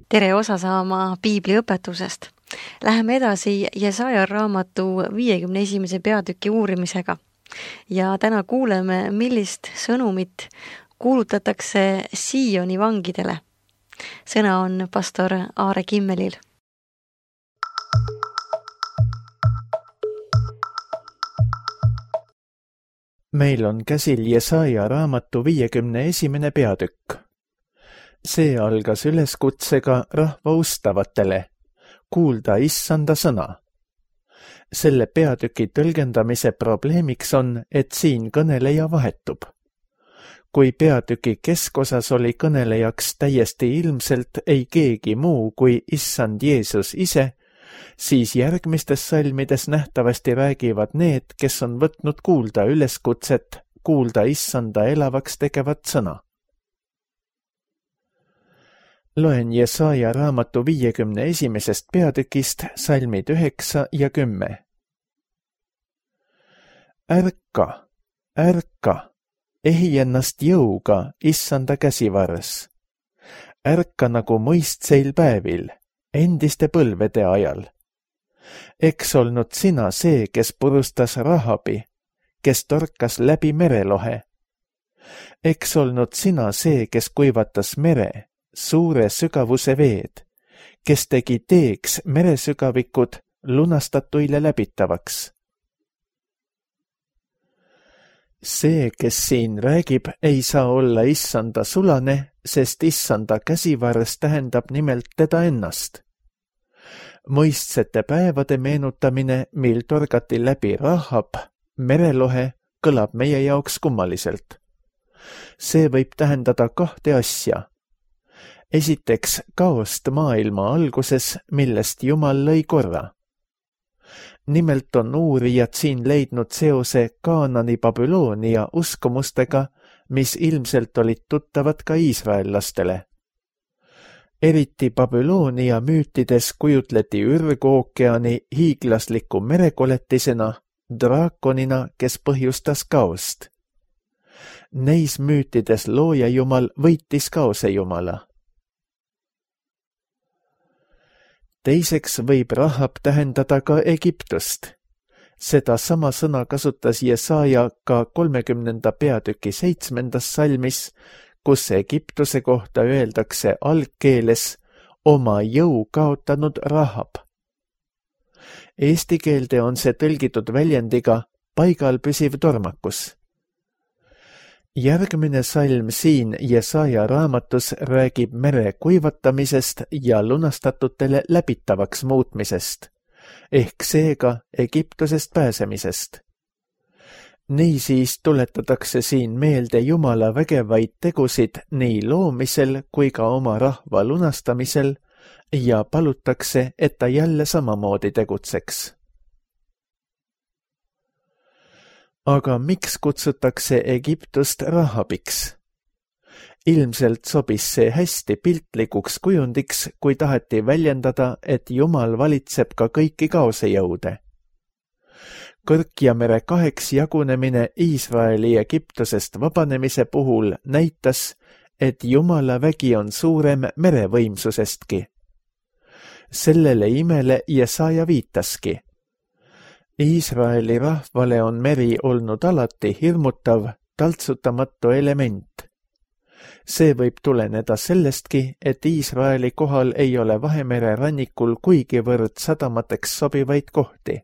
Tere osa saama piibliõpetusest. Läheme edasi Jesaja raamatu 51. peatüki uurimisega. Ja täna kuuleme, millist sõnumit kuulutatakse Sioni vangidele. Sõna on pastor Aare Kimmelil. Meil on käsil Jesaja raamatu 51. peatükk. See algas üleskutsega rahva ustavatele, kuulda issanda sõna. Selle peatüki tõlgendamise probleemiks on, et siin kõneleja vahetub. Kui peatüki keskosas oli kõnelejaks täiesti ilmselt ei keegi muu kui issand Jeesus ise, siis järgmistes salmides nähtavasti räägivad need, kes on võtnud kuulda üleskutset, kuulda issanda elavaks tegevat sõna. Loen Jesaja raamatu 51. peatükist salmid 9 ja 10. Ärka, ärka, ehi ennast jõuga issanda käsivars. Ärka nagu mõistseil päevil, endiste põlvede ajal. Eks olnud sina see, kes purustas Rahabi, kes torkas läbi merelohe. Eks olnud sina see, kes kuivatas mere, suure sügavuse veed, kes tegi teeks meresügavikud lunastatuile läbitavaks. See, kes siin räägib, ei saa olla issanda sulane, sest issanda käsivars tähendab nimelt teda ennast. Mõistsete päevade meenutamine, mil torgati läbi Rahab, merelohe, kõlab meie jaoks kummaliselt. See võib tähendada kahte asja. Esiteks kaost maailma alguses, millest Jumal lõi korra. Nimelt on uurijad siin leidnud seose Kaanani Babyloonia uskumustega, mis ilmselt olid tuttavad ka iisraellastele. Eriti Babyloonia müütides kujutleti ürgookeani hiiglasliku merekoletisena, draakonina, kes põhjustas kaost. Neis müütides looja jumal võitis kaose jumala. Teiseks võib Rahab tähendada ka Egiptust. Seda sama sõna kasutas Jesaja ka 30. peatüki 7. salmis, kus Egiptuse kohta öeldakse algkeeles oma jõu kaotanud Rahab. Eesti keelde on see tõlgitud väljendiga paigal püsiv tormakus. Järgmine salm siin Jesaja raamatus räägib mere kuivatamisest ja lunastatutele läbitavaks muutmisest, ehk seega Egiptusest pääsemisest. Niisiis tuletatakse siin meelde Jumala vägevaid tegusid nii loomisel kui ka oma rahva lunastamisel ja palutakse, et ta jälle samamoodi tegutseks. Aga miks kutsutakse Egiptust Rahabiks? Ilmselt sobis see hästi piltlikuks kujundiks, kui taheti väljendada, et Jumal valitseb ka kõiki kaosejõude. Kõrkjamere kaheks jagunemine Iisraeli Egiptusest vabanemise puhul näitas, et Jumala vägi on suurem merevõimsusestki. Sellele imele Jesaja viitaski. Iisraeli rahvale on meri olnud alati hirmutav, taltsutamatu element. See võib tuleneda sellestki, et Iisraeli kohal ei ole Vahemere rannikul kuigivõrd sadamateks sobivaid kohti.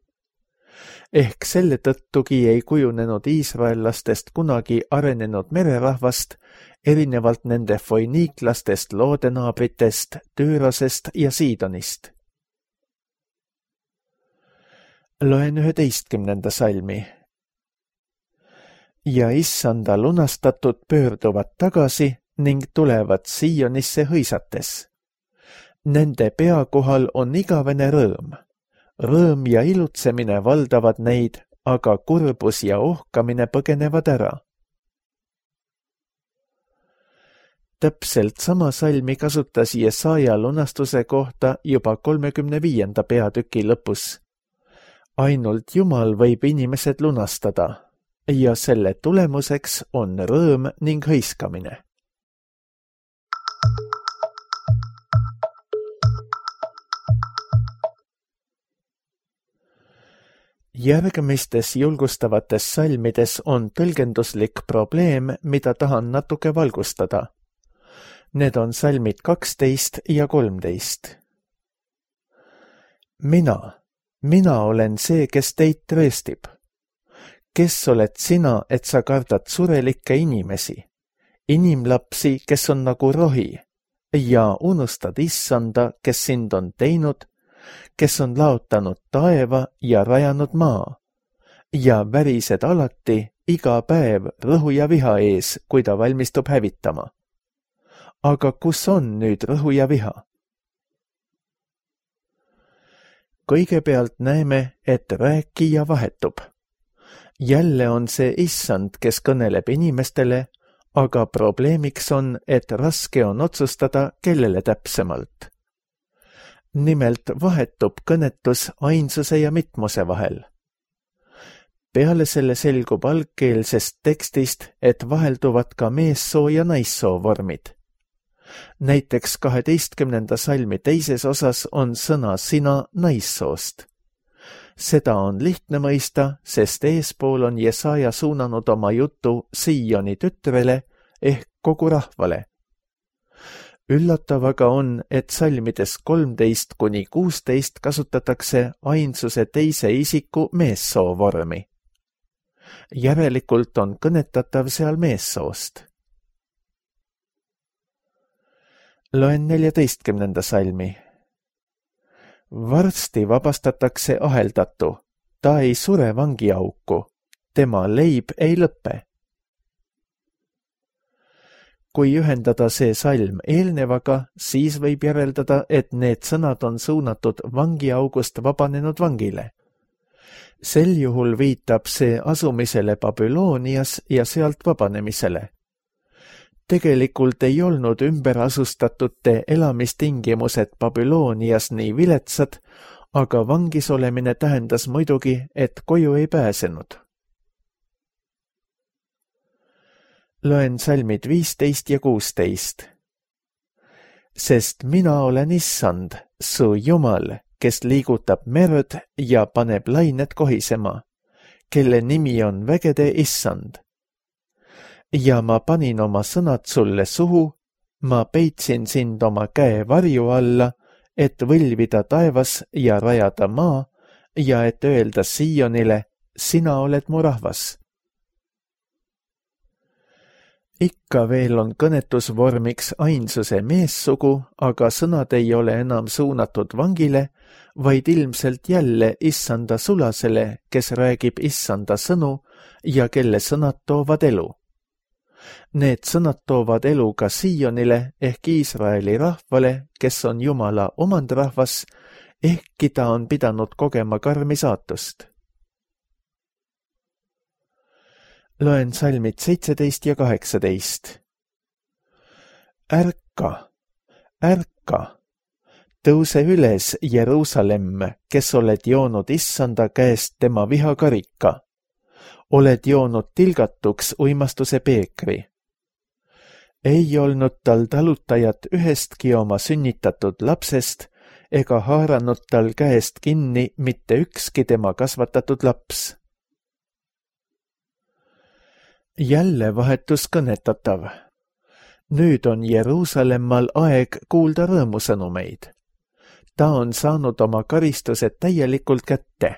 Ehk selle tõttugi ei kujunenud iisraellastest kunagi arenenud mererahvast, erinevalt nende foiniiklastest, loodenaabritest, Tüürosest ja Siidonist. Loen 11. salmi. Ja issanda lunastatud pöörduvad tagasi ning tulevad Siionisse hõisates. Nende pea kohal on igavene rõõm. Rõõm ja ilutsemine valdavad neid, aga kurbus ja ohkamine põgenevad ära. Täpselt sama salmi kasutas Jesaja lunastuse kohta juba 35. peatüki lõpus. Ainult Jumal võib inimesed lunastada ja selle tulemuseks on rõõm ning hõiskamine. Järgmistes julgustavates salmides on tõlgenduslik probleem, mida tahan natuke valgustada. Need on salmid 12 ja 13. Mina olen see, kes teid trööstib. Kes oled sina, et sa kardad surelikke inimesi, inimlapsi, kes on nagu rohi, ja unustad Issanda, kes sind on teinud, kes on laotanud taeva ja rajanud maa, ja värised alati iga päev rõhu ja viha ees, kui ta valmistub hävitama. Aga kus on nüüd rõhu ja viha? Kõigepealt näeme, et rääkija vahetub. Jälle on see Issand, kes kõneleb inimestele, aga probleemiks on, et raske on otsustada, kellele täpsemalt. Nimelt vahetub kõnetus ainsuse ja mitmuse vahel. Peale selle selgub algkeelsest tekstist, et vahelduvad ka meessoo ja naissoo vormid. Näiteks 12. salmi teises osas on sõna sina naissoost. Seda on lihtne mõista, sest eespool on Jesaja suunanud oma jutu Sioni tütrele ehk kogu rahvale. Üllatav aga on, et salmides 13–16 kasutatakse ainsuse teise isiku meessoo vormi. Järelikult on kõnetatav seal meessoost. Loen 14. salmi. Varsti vabastatakse aheldatu, ta ei sure vangiauku, tema leib ei lõppe. Kui ühendada see salm eelnevaga, siis võib järeldada, et need sõnad on suunatud vangiaugust vabanenud vangile. Sel juhul viitab see asumisele Babylonias ja sealt vabanemisele. Tegelikult ei olnud ümberasustatute elamistingimused Babylonias nii viletsad, aga vangis olemine tähendas muidugi, et koju ei pääsenud. Loen salmid 15 ja 16. Sest mina olen Issand, su Jumal, kes liigutab merd ja paneb lained kohisema, kelle nimi on vägede Issand. Ja ma panin oma sõnad sulle suhu, ma peitsin sind oma käe varju alla, et võlvida taevas ja rajada maa ja et öelda Sionile, sina oled mu rahvas. Ikka veel on kõnetusvormiks ainsuse meessugu, aga sõnad ei ole enam suunatud vangile, vaid ilmselt jälle Issanda sulasele, kes räägib Issanda sõnu ja kelle sõnad toovad elu. Need sõnad toovad elu ka Sionile ehk Iisraeli rahvale, kes on Jumala omandrahvas, ehkki ta on pidanud kogema karmi saatust. Loen salmid 17 ja 18. Ärka, tõuse üles, Jeruusalemm, kes oled joonud Issanda käest tema vihakarika. Oled joonud tilgatuks uimastuse peekri. Ei olnud tal talutajat ühestki oma sünnitatud lapsest ega haaranud tal käest kinni mitte ükski tema kasvatatud laps. Jälle vahetus kõnetatav. Nüüd on Jeruusalemmal aeg kuulda rõõmusõnumeid. Ta on saanud oma karistused täielikult kätte.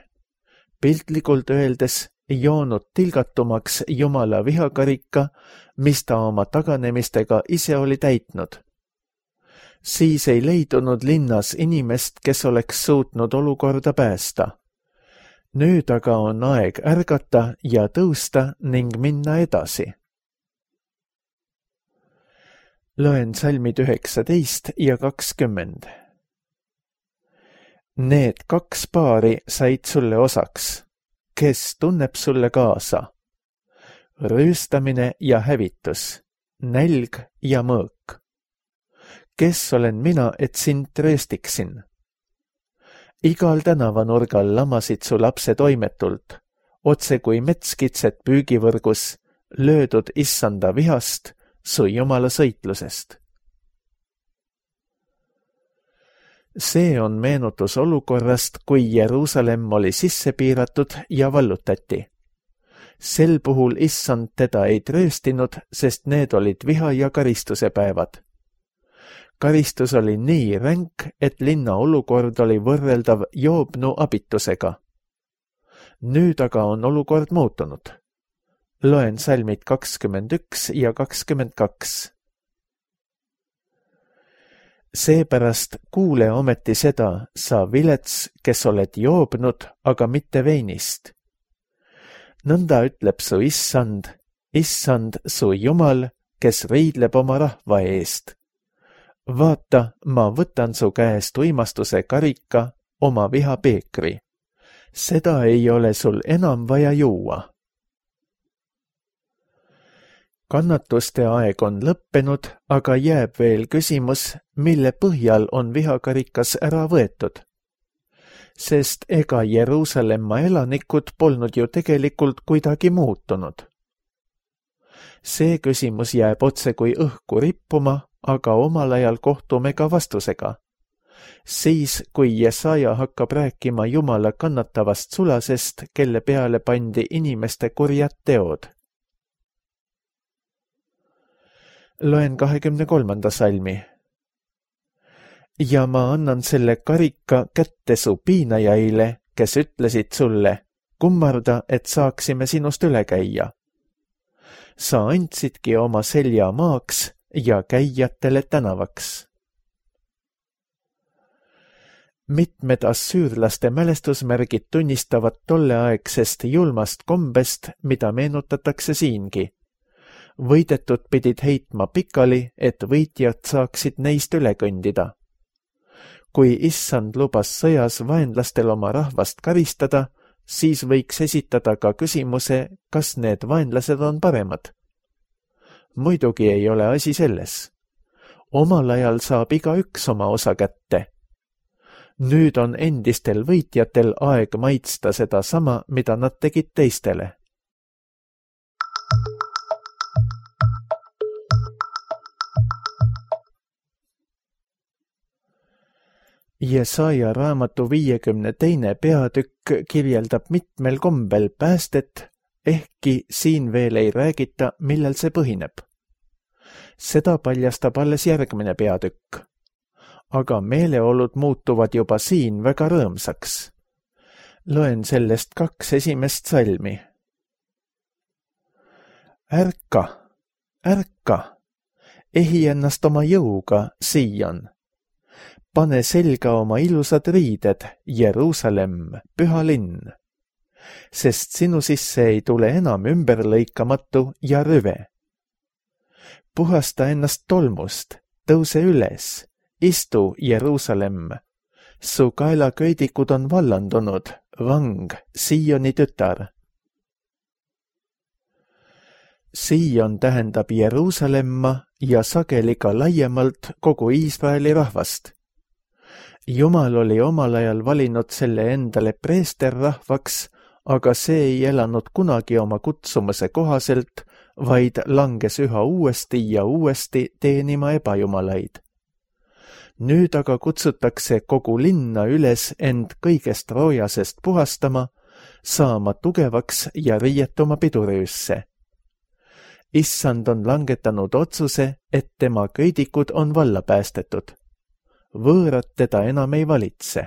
Piltlikult öeldes joonud tilgatumaks Jumala vihakarika, mis ta oma taganemistega ise oli täitnud. Siis ei leidunud linnas inimest, kes oleks suutnud olukorda päästa. Nüüd aga on aeg ärgata ja tõusta ning minna edasi. Loen salmid 19 ja 20. Need 2 paari said sulle osaks. Kes tunneb sulle kaasa? Rüüstamine ja hävitus, nälg ja mõõk. Kes olen mina, et sind trööstiksin? Igal tänavanurgal lamasid su lapse toimetult, otse kui metskitsed püügivõrgus, löödud Issanda vihast, su Jumala sõitlusest. See on meenutus olukorrast, kui Jeruusalemm oli sisse piiratud ja vallutati. Sel puhul issand teda ei trööstinud, sest need olid viha ja karistuse päevad. Karistus oli nii ränk, et linna olukord oli võrreldav Joobnu abitusega. Nüüd aga on olukord muutunud. Loen salmid 21 ja 22. Seepärast kuule ometi seda, sa vilets, kes oled joobnud, aga mitte veinist. Nõnda ütleb su issand, su Jumal, kes riidleb oma rahva eest. Vaata, ma võtan su käest uimastuse karika, oma viha peekri. Seda ei ole sul enam vaja juua. Kannatuste aeg on lõppenud, aga jääb veel küsimus, mille põhjal on vihakarikas ära võetud. Sest ega Jeruusalemma elanikud polnud ju tegelikult kuidagi muutunud. See küsimus jääb otse kui õhku rippuma, aga omal ajal kohtume ka vastusega. Siis, kui Jesaja hakkab rääkima Jumala kannatavast sulasest, kelle peale pandi inimeste kurjad teod. Loen 23. salmi. Ja ma annan selle karika kätte su piinajaile, kes ütlesid sulle, kummarda, et saaksime sinust üle käia. Sa andsidki oma selja maaks ja käijatele tänavaks. Mitmed assüürlaste mälestusmärgid tunnistavad tolleaegsest julmast kombest, mida meenutatakse siingi. Võidetud pidid heitma pikali, et võitjad saaksid neist üle kõndida. Kui issand lubas sõjas vaenlastel oma rahvast karistada, siis võiks esitada ka küsimuse, kas need vaenlased on paremad. Muidugi ei ole asi selles. Omal ajal saab igaüks oma osa kätte. Nüüd on endistel võitjatel aeg maitsta seda sama, mida nad tegid teistele. Jesaja raamatu 52. peatükk kirjeldab mitmel kombel päästet, ehkki siin veel ei räägita, millel see põhineb. Seda paljastab alles järgmine peatükk. Aga meeleolud muutuvad juba siin väga rõõmsaks. Loen sellest 2 esimest salmi. Ärka, ärka, ehi ennast oma jõuga, Siion. Pane selga oma ilusad riided, Jeruusalemm, püha linn. Sest sinu sisse ei tule enam ümberlõikamatu ja rüve. Puhasta ennast tolmust, tõuse üles, istu, Jeruusalemm. Su kaelaköidikud on vallandunud, vang, Siioni tütar. Siion tähendab Jeruusalemma ja sageli ka laiemalt kogu Iisraeli rahvast. Jumal oli omal ajal valinud selle endale preesterrahvaks, aga see ei elanud kunagi oma kutsumuse kohaselt, vaid langes üha uuesti ja uuesti teenima ebajumalaid. Nüüd aga kutsutakse kogu linna üles end kõigest roojasest puhastama, saama tugevaks ja riietuma pidurüüsse. Issand on langetanud otsuse, et tema köidikud on valla päästetud. Võõrad teda enam ei valitse.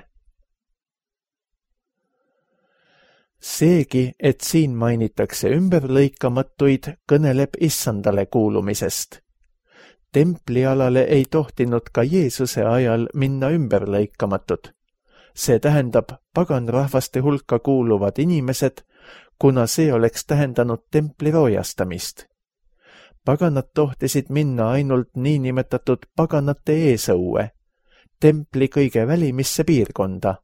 Seegi, et siin mainitakse ümberlõikamatuid, kõneleb issandale kuulumisest. Templialale ei tohtinud ka Jeesuse ajal minna ümberlõikamatud. See tähendab paganrahvaste hulka kuuluvad inimesed, kuna see oleks tähendanud templi roojastamist. Paganad tohtisid minna ainult niinimetatud paganate eesõue, templi kõige välimisse piirkonda.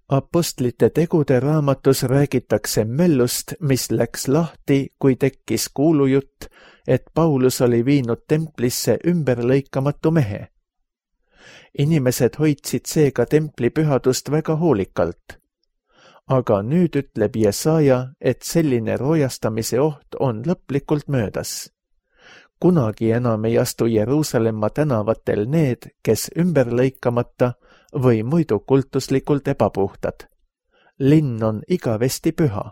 Apostlite tegude raamatus räägitakse möllust, mis läks lahti, kui tekkis kuulujutt, et Paulus oli viinud templisse ümberlõikamatu mehe. Inimesed hoidsid seega templi pühadust väga hoolikalt. Aga nüüd ütleb Jesaja, et selline roojastamise oht on lõplikult möödas. kunagi enam ei astu Jeruusalemma tänavatel need, kes ümberlõikamata või muidu kultuslikult ebapuhtad. Linn on igavesti püha.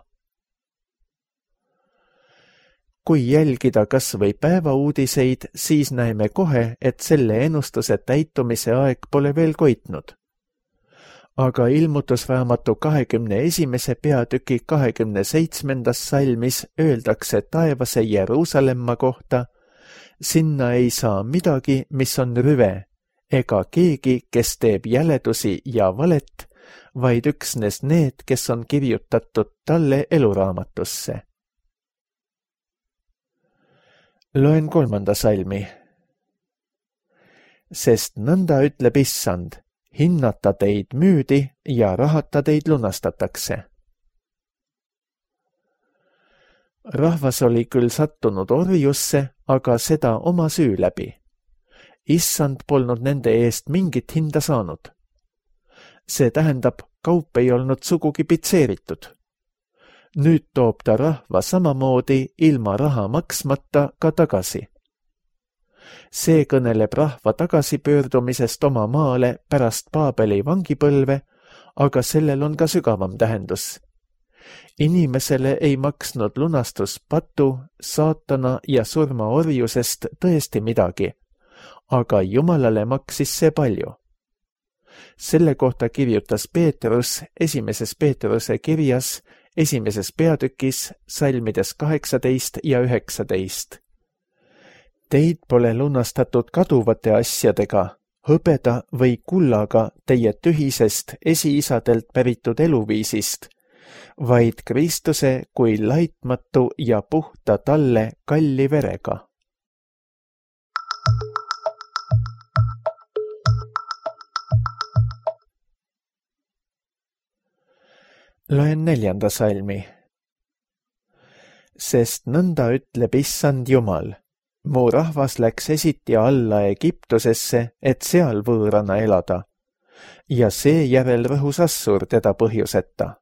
Kui jälgida kas või päevauudiseid, siis näeme kohe, et selle ennustuse täitumise aeg pole veel koitnud. Aga ilmutusraamatu 21. peatüki 27. salmis öeldakse taevase Jeruusalemma kohta: sinna ei saa midagi, mis on rüve, ega keegi, kes teeb jäledusi ja valet, vaid üksnes need, kes on kirjutatud talle eluraamatusse. Loen 3. salmi. Sest nõnda ütleb Issand, hinnata teid müüdi ja rahata teid lunastatakse. Rahvas oli küll sattunud orjusse, aga seda oma süü läbi. Issand polnud nende eest mingit hinda saanud. See tähendab, kaup ei olnud sugugi pitseeritud. Nüüd toob ta rahva samamoodi ilma raha maksmata ka tagasi. See kõneleb rahva tagasipöördumisest oma maale pärast Paabeli vangipõlve, aga sellel on ka sügavam tähendus. Inimesele ei maksnud lunastus patu, saatana ja surma orjusest tõesti midagi, aga Jumalale maksis see palju. Selle kohta kirjutas Peetrus 1. Peetruse kirjas 1. peatükis salmides 18 ja 19. Teid pole lunastatud kaduvate asjadega, hõbeda või kullaga teie tühisest esiisadelt päritud eluviisist, vaid Kristuse kui laitmatu ja puhta talle kalli verega. Loen 4. salmi. Sest nõnda ütleb Issand Jumal, mu rahvas läks esiti alla Egiptusesse, et seal võõrana elada, ja seejärel rõhus Assur teda põhjuseta.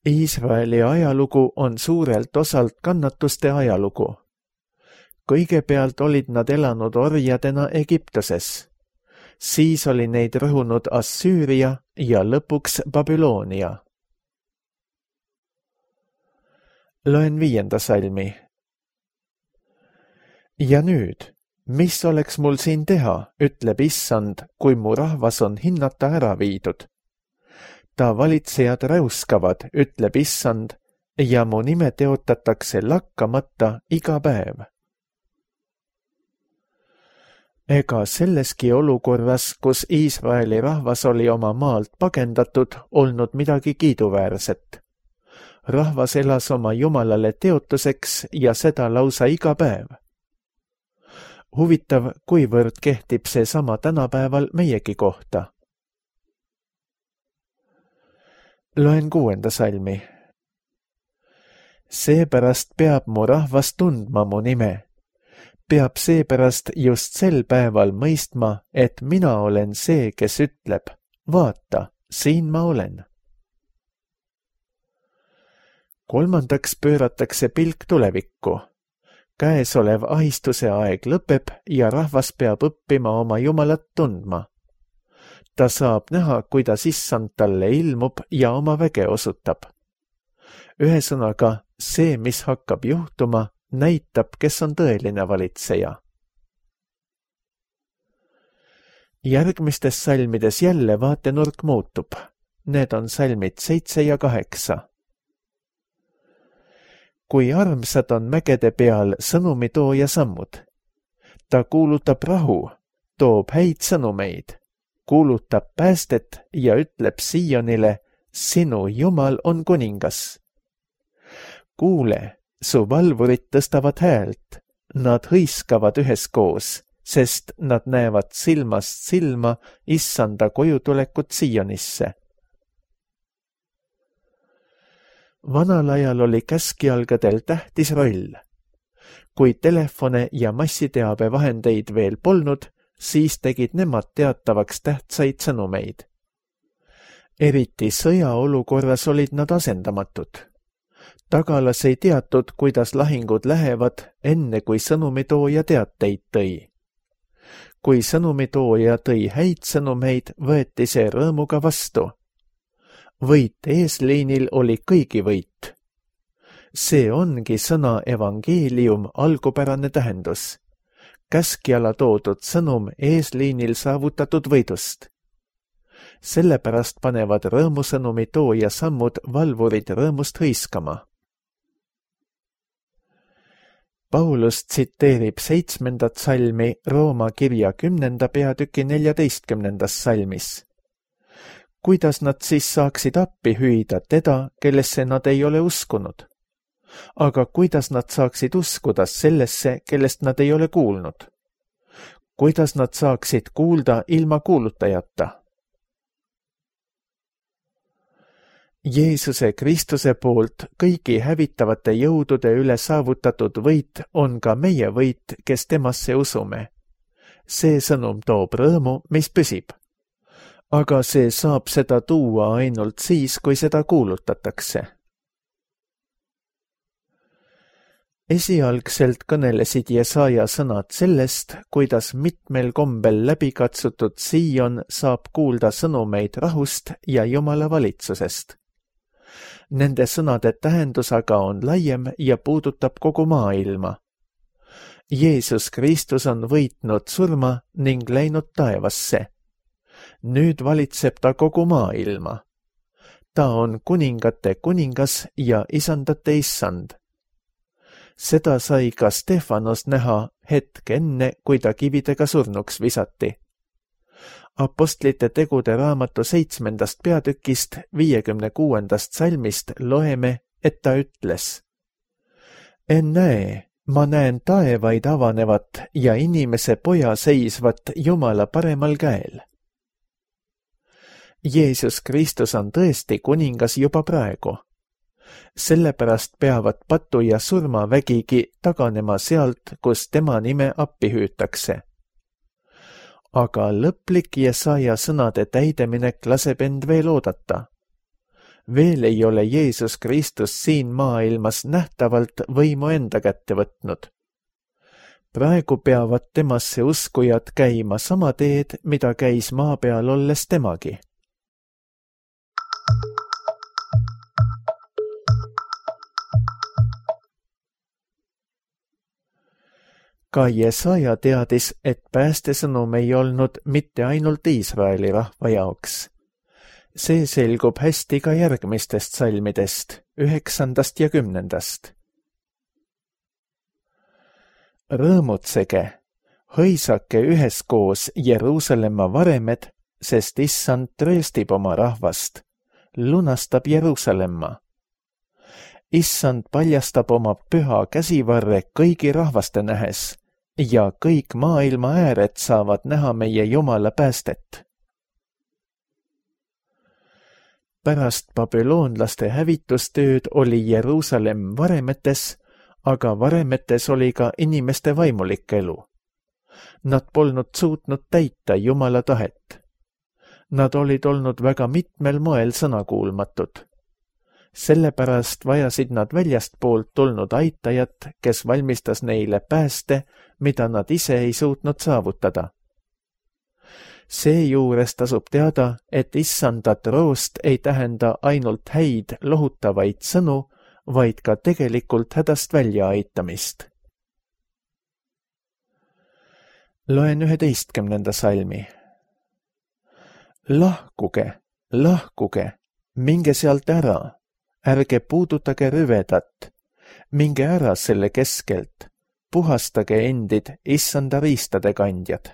Iisraeli ajalugu on suurelt osalt kannatuste ajalugu. Kõigepealt olid nad elanud orjadena Egiptuses. Siis oli neid rõhunud Assüüria ja lõpuks Babyloonia. Loen 5. salmi. Ja nüüd, mis oleks mul siin teha, ütleb Issand, kui mu rahvas on hinnata ära viidud. Ta valitsejad räuskavad, ütleb Issand, ja mu nime teotatakse lakkamata iga päev. Ega selleski olukorras, kus Iisraeli rahvas oli oma maalt pagendatud, olnud midagi kiiduväärset. Rahvas elas oma Jumalale teotuseks ja seda lausa iga päev. Huvitav, kuivõrd kehtib see sama tänapäeval meiegi kohta. Loen 6. salmi. Seepärast peab mu rahvas tundma mu nime. Peab seepärast just sel päeval mõistma, et mina olen see, kes ütleb, vaata, siin ma olen. Kolmandaks pööratakse pilk tulevikku. Käesolev ahistuse aeg lõpeb ja rahvas peab õppima oma Jumalat tundma. Ta saab näha, kuidas Issand talle ilmub ja oma väge osutab. Ühesõnaga, see, mis hakkab juhtuma, näitab, kes on tõeline valitseja. Järgmistes salmides jälle vaatenurk muutub. Need on salmid 7 ja 8. Kui armsad on mägede peal sõnumitooja sammud. Ta kuulutab rahu, toob häid sõnumeid, kuulutab päästet ja ütleb Siionile, sinu Jumal on kuningas. Kuule, su valvurid tõstavad häält, nad hõiskavad üheskoos, sest nad näevad silmast silma Issanda kojutulekut Sionisse. Vanal ajal oli käskjalgadel tähtis roll. Kui telefone ja massiteabevahendeid veel polnud, siis tegid nemad teatavaks tähtsaid sõnumeid. Eriti sõjaolukorras olid nad asendamatud. Tagalas ei teatud, kuidas lahingud lähevad, enne kui sõnumitooja teateid tõi. Kui sõnumitooja tõi häid sõnumeid, võeti see rõõmuga vastu. Võit eesliinil oli kõigi võit. See ongi sõna evangeelium algupärane tähendus. Käskjala toodud sõnum eesliinil saavutatud võidust. Sellepärast panevad rõõmusõnumi tooja sammud valvurid rõõmust hõiskama. Paulus tsiteerib 7. salmi Rooma kirja 10. peatüki 14. salmis. Kuidas nad siis saaksid appi hüüda teda, kellesse nad ei ole uskunud? Aga kuidas nad saaksid uskuda sellesse, kellest nad ei ole kuulnud? Kuidas nad saaksid kuulda ilma kuulutajata? Jeesuse Kristuse poolt kõigi hävitavate jõudude üle saavutatud võit on ka meie võit, kes temasse usume. See sõnum toob rõõmu, mis püsib. Aga see saab seda tuua ainult siis, kui seda kuulutatakse. Esialgselt kõnelesid Jesaja sõnad sellest, kuidas mitmel kombel läbikatsutud Siion saab kuulda sõnumeid rahust ja Jumala valitsusest. Nende sõnade tähendus aga on laiem ja puudutab kogu maailma. Jeesus Kristus on võitnud surma ning läinud taevasse. Nüüd valitseb ta kogu maailma. Ta on kuningate kuningas ja isandate issand. Seda sai ka Stefanos näha hetk enne, kui ta kividega surnuks visati. Apostlite tegude raamatu 7. peatükist 56. salmist loeme, et ta ütles: Ennäe, ma näen taevaid avanevat ja inimese poja seisvat Jumala paremal käel. Jeesus Kristus on tõesti kuningas juba praegu. Sellepärast peavad patu ja surmavägigi taganema sealt, kus tema nime appi hüütakse. Aga lõplik Jesaja sõnade täideminek laseb end veel oodata. Veel ei ole Jeesus Kristus siin maailmas nähtavalt võimu enda kätte võtnud. Praegu peavad temasse uskujad käima sama teed, mida käis maa peal olles temagi. Ka Jesaja teadis, et päästesõnum ei olnud mitte ainult Iisraeli rahva jaoks. See selgub hästi ka järgmistest salmidest, 9. ja 10. Rõõmutsege, hõisake üheskoos Jeruusalemma varemed, sest issand trööstib oma rahvast, lunastab Jeruusalemma. Issand paljastab oma püha käsivarre kõigi rahvaste nähes ja kõik maailma ääred saavad näha meie Jumala päästet. Pärast babüloonlaste hävitustööd oli Jeruusalemm varemetes, aga varemetes oli ka inimeste vaimulik elu. Nad polnud suutnud täita Jumala tahet. Nad olid olnud väga mitmel moel sõnakuulmatud. Sellepärast vajasid nad väljastpoolt tulnud aitajat, kes valmistas neile pääste, mida nad ise ei suutnud saavutada. Seejuures tasub teada, et issanda troost ei tähenda ainult häid lohutavaid sõnu, vaid ka tegelikult hädast välja aitamist. Loen 11. salmi. Lahkuge, lahkuge, minge sealt ära. Ärge puudutage rüvedat, minge ära selle keskelt, puhastage endid issanda riistade kandjad.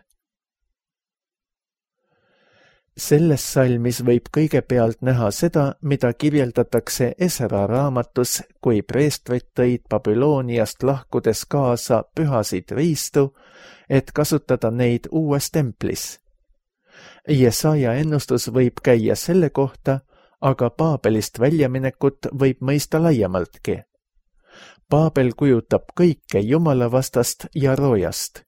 Selles salmis võib kõigepealt näha seda, mida kirjeldatakse Esra raamatus, kui preestrid tõid Babülooniast lahkudes kaasa pühasid riistu, et kasutada neid uues templis. Jesaja ennustus võib käia selle kohta, aga Paabelist väljaminekut võib mõista laiemaltki. Paabel kujutab kõike Jumala vastast ja roojast.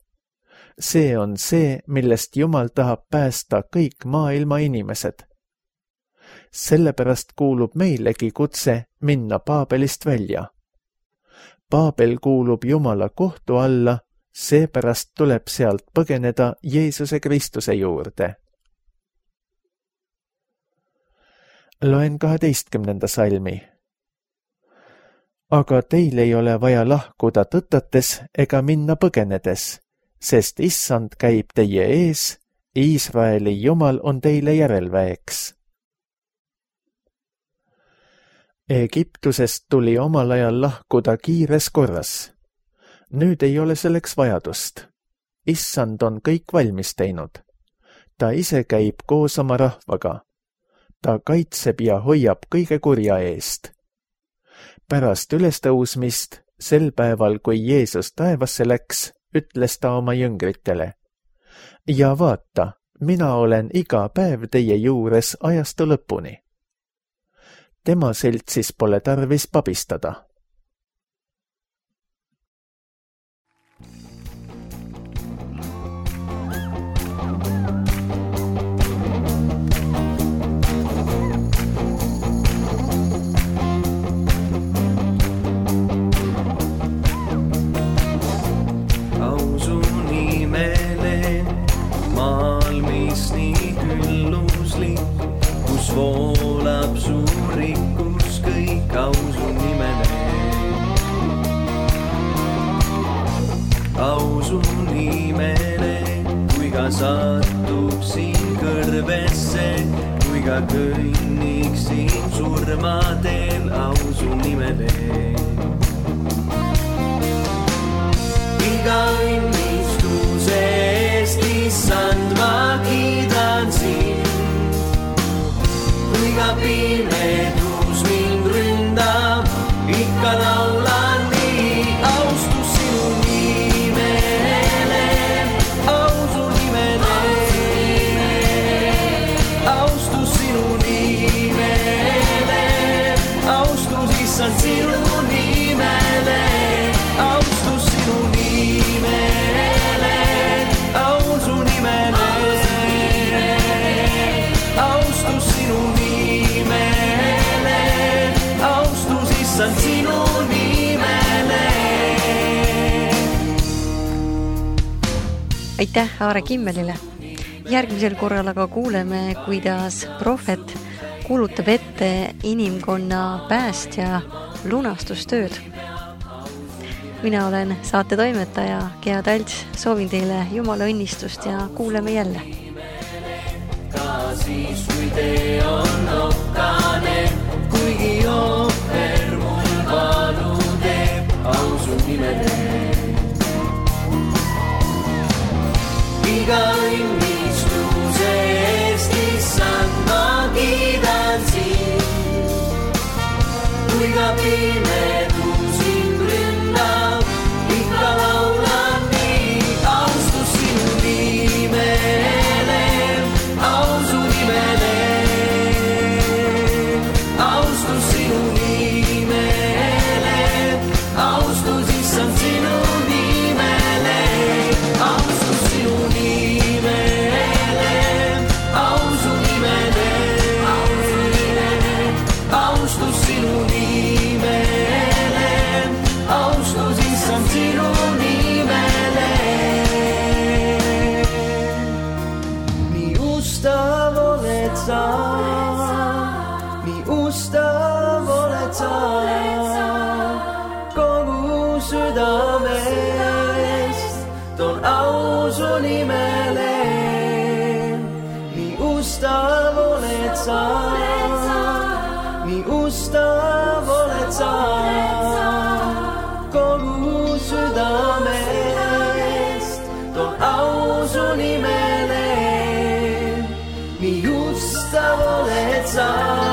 See on see, millest Jumal tahab päästa kõik maailma inimesed. Sellepärast kuulub meilegi kutse minna Paabelist välja. Paabel kuulub Jumala kohtu alla, seepärast tuleb sealt põgeneda Jeesuse Kristuse juurde. Loen 12. salmi. Aga teil ei ole vaja lahkuda tõtates ega minna põgenedes, sest Issand käib teie ees, Iisraeli Jumal on teile järelväeks. Egiptusest tuli omal ajal lahkuda kiires korras. Nüüd ei ole selleks vajadust. Issand on kõik valmis teinud. Ta ise käib koos oma rahvaga. Ta kaitseb ja hoiab kõige kurja eest. Pärast ülestõusmist, sel päeval, kui Jeesus taevasse läks, ütles ta oma jüngritele. Ja vaata, mina olen iga päev teie juures ajastu lõpuni. Tema seltsis pole tarvis pabistada. Voolab suur rikkus kõik ausu nimele. Ausu nimele, kui ka satuksin kõrvesse, kui ka kõnniksin surmadel ausu nimele. Iga õnnistuse eest, Issand, ma kiidan sind. Iga pimedus mind ründab, ikka laulan nii, austus sinu nimele, ausu nimele, austus sinu nimele, austus Issand sinu nimele, austus sinu nimele, ausu nimele, austus sinu nimele. Sinu nimele. Aitäh Aare Kimmelile. Järgmisel korral aga kuuleme, kuidas prohvet kuulutab ette inimkonna päästja lunastustööd. Mina olen saate toimetaja Gea Talts, soovin teile Jumala õnnistust ja kuuleme jälle. Ka siis, kui tee on okkane, kuigi ohver valu teeb ausu nimele. Iga õnnistuse eest, Issand, ma kiidan sind. Kui ka pimedus sind ründab, ikka laulan nii, austus sinu nimele, ausu nimele, austus sinu nimele. Austus Issand sinu nimele, austus sinu nimele, ausu nimele, austus sinu nimele, austus Issand sinu nimele. Nii ustav oled sa, nii ustav oled sa, südamest toon ausu nimele. Nii ustav oled sa, nii ustav oled sa, kogu südamest toon ausu nimele. Nii ustav oled sa.